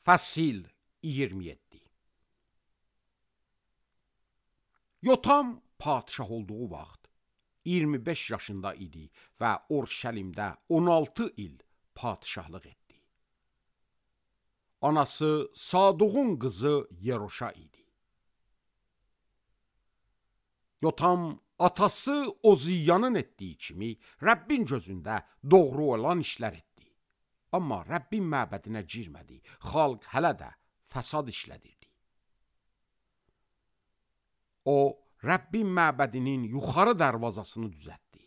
Fəsil 27. Yotam padişah olduğu vaxt 25 yaşında idi və Urşəlimdə 16 il padişahlıq etdi. Anası Saduğun qızı Yeroşa idi. Yotam atası Oziyanın etdiyi kimi Rəbbin gözündə doğru olan işlər etdi. Amma Rəbbin məbədinə girmədi, xalq hələ də fəsad işlədirdi. O, Rəbbin məbədinin yuxarı dərvazasını düzəltdi.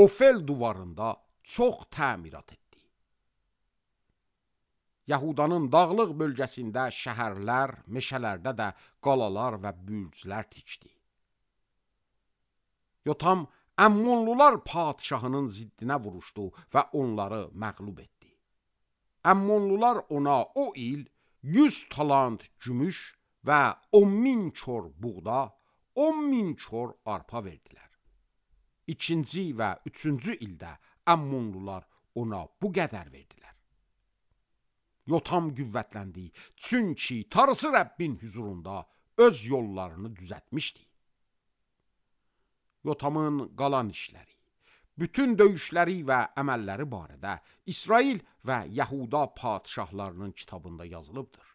Ofel divarında çox təmirat etdi. Yahudanın dağlıq bölgəsində şəhərlər, meşələrdə də qalalar və bürclər tikdi. Yotam Əmmonlular padişahının ziddinə vuruşdu və onları məğlub etdi. Əmmonlular ona o il 100 talant gümüş və 10.000 kor buğda, 10.000 kor arpa verdilər. İkinci və üçüncü ildə Əmmonlular ona bu qədər verdilər. Yotam qüvvətləndi, çünki Tanrısı Rəbbin hüzurunda öz yollarını düzəltmişdi. Yotamın qalan işləri, bütün döyüşləri və əməlləri barədə İsrail və Yahuda padişahlarının kitabında yazılıbdır.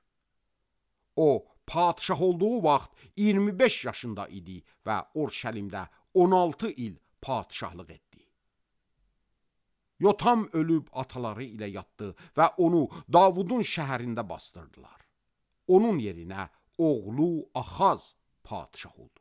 O, padişah olduğu vaxt 25 yaşında idi və Urşəlimdə 16 il padişahlıq etdi. Yotam ölüb ataları ilə yatdı və onu Davudun şəhərində bastırdılar. Onun yerinə oğlu Axaz padişah oldu.